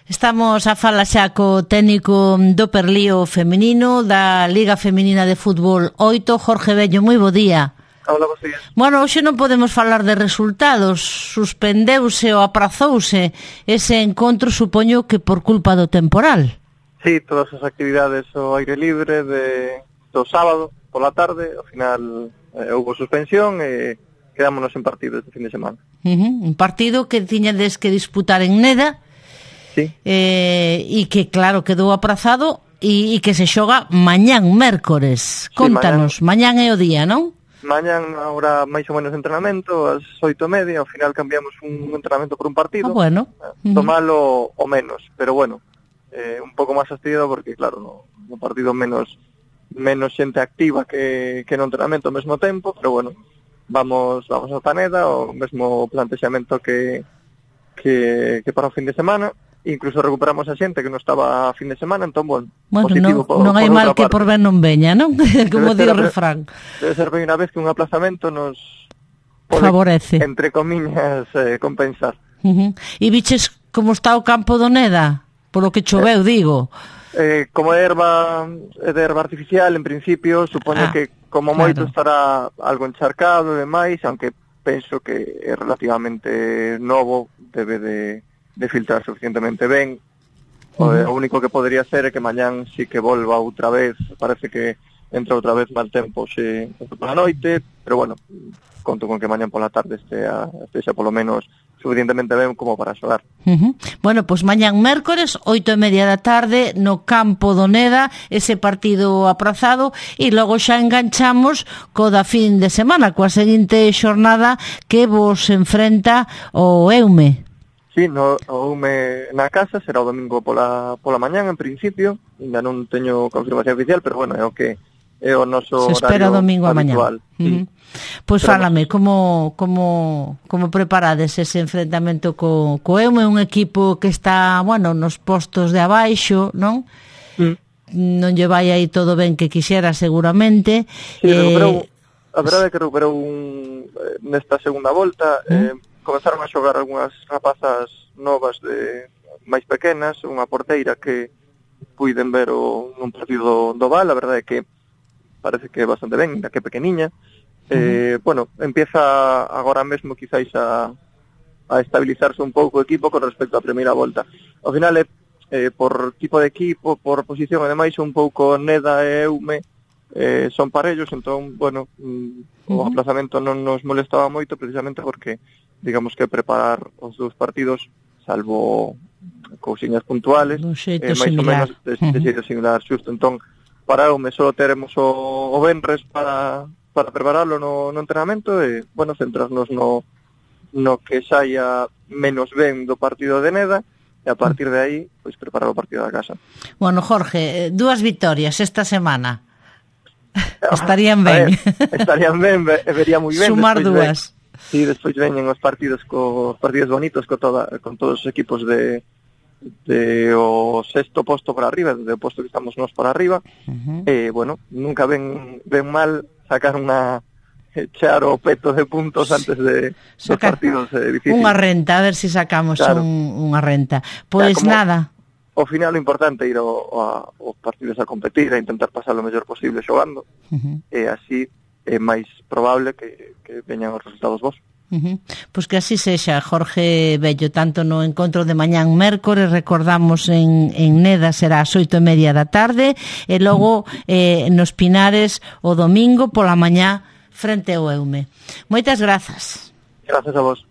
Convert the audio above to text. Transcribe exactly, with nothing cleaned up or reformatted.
Estamos a fala xa co técnico do Perlío feminino da Liga Feminina de Fútbol oito, Jorge Bello. Moi bo día. Hola, bos días. Bueno, hoxe non podemos falar de resultados. Suspendeuse ou aprazouse ese encontro, supoño que por culpa do temporal. Sí, todas as actividades ao aire libre de, do sábado pola tarde, ao final eh, houve suspensión e quedámonos en partido este fin de semana. Uh-huh. Un partido que tiñades que disputar en Neda. Sí. Eh, e que claro quedou aprazado e, e que se xoga mañán mércores. Contanos, sí, mañán. mañán é o día, non? Mañán haurá máis ou menos entrenamento ás oito e media, ao final cambiamos un entrenamento por un partido. Ah, bueno. Uh-huh. Tomalo o menos, pero bueno, eh, un pouco máis fastidiado porque claro, no, no partido menos menos xente activa que, que no entrenamento ao mesmo tempo, pero bueno, vamos vamos a Taneda, o mesmo plantexamento que que, que para o fin de semana. Incluso recuperamos a xente que non estaba a fin de semana, entón, bueno, bueno positivo. Non, por, non hai mal que por ben non veña, non? Como di o refrán. Debe ser a vez que un aplazamento nos pode, favorece, entre comillas, eh, compensar. Uh-huh. E biches como está o campo do Neda? Polo que choveu, eh, digo. Eh, como é erva, é de erva artificial, en principio, supoño ah, que como moito claro. Estará algo encharcado e demais, aunque penso que é relativamente novo, debe de... de filtrar suficientemente ben. O, uh-huh. o único que podría ser é que mañán sí que volva outra vez, parece que entra outra vez mal tempo xe pola noite, pero bueno, conto con que mañán pola tarde estea, estea polo menos suficientemente ben como para xogar. Uh-huh. Bueno, pois pues mañán mércores, oito e media da tarde, no campo do Neda, ese partido aprazado, e logo xa enganchamos co da fin de semana, coa seguinte xornada que vos enfrenta o Eume. Sí, no, o Ume na casa será o domingo pola pola mañán en principio, ainda non teño confirmación oficial, pero bueno, é o que é o noso se espera horario domingo habitual. A mañán. Sí. Uh-huh. Pois pues fálame, como como como preparades ese enfrentamento co co Eume, un equipo que está, bueno, nos postos de abaixo, non? Mm. Non lle vai aí todo ben que quixera seguramente. Sí, eh... recuperou, a verdade é que recuperou un, nesta segunda volta, mm. eh, comenzaron a xogar algunhas rapazas novas de máis pequenas, unha porteira que puiden ver o, un partido do Val, a verdade é que parece que é bastante ben, da que pequeniña. Eh, uh-huh. Bueno, empieza agora mesmo quizáis a, a estabilizarse un pouco o equipo con respecto á primeira volta. Ao final, é, eh, por tipo de equipo, por posición e demais, un pouco Neda e Eume eh, son parellos, entón, bueno, mm, uh-huh. o aplazamento non nos molestaba moito precisamente porque digamos que preparar os dous partidos, salvo cousiñas puntuales, eh, máis ou menos de, de xeito uh-huh. similar, xusto. Entón, para o me só teremos o, o venres para, para prepararlo no, no entrenamento e, bueno, centrarnos no, no que saia menos ben do partido de Neda e a partir de aí, pois, preparar o partido da casa. Bueno, Jorge, dúas vitorias esta semana. Estarían ben. Ver, estarían ben, vería moi ben. Sumar dúas. Ben. Sí, despois veñen os partidos co, os partidos bonitos co toda, con todos os equipos de, de o sexto posto para arriba, do posto que estamos nós para arriba. Uh-huh. E, bueno, nunca ven, ven mal sacar unha echar o peto de puntos sí. antes de dos partidos eh, difíciles. Unha renta, a ver se si sacamos claro. un, unha renta. Pois pues nada. Ao final o importante é ir aos partidos a competir, a intentar pasar o mellor posible xogando. Uh-huh. E así é máis probable que, que veñan os resultados vos. Uh-huh. Pois que así sexa, Jorge Bello, tanto no encontro de mañán mércores, recordamos en, en Neda será ás oito e media da tarde, e logo eh, nos Pinares o domingo pola mañá frente ao Eume. Moitas grazas. Grazas a vos.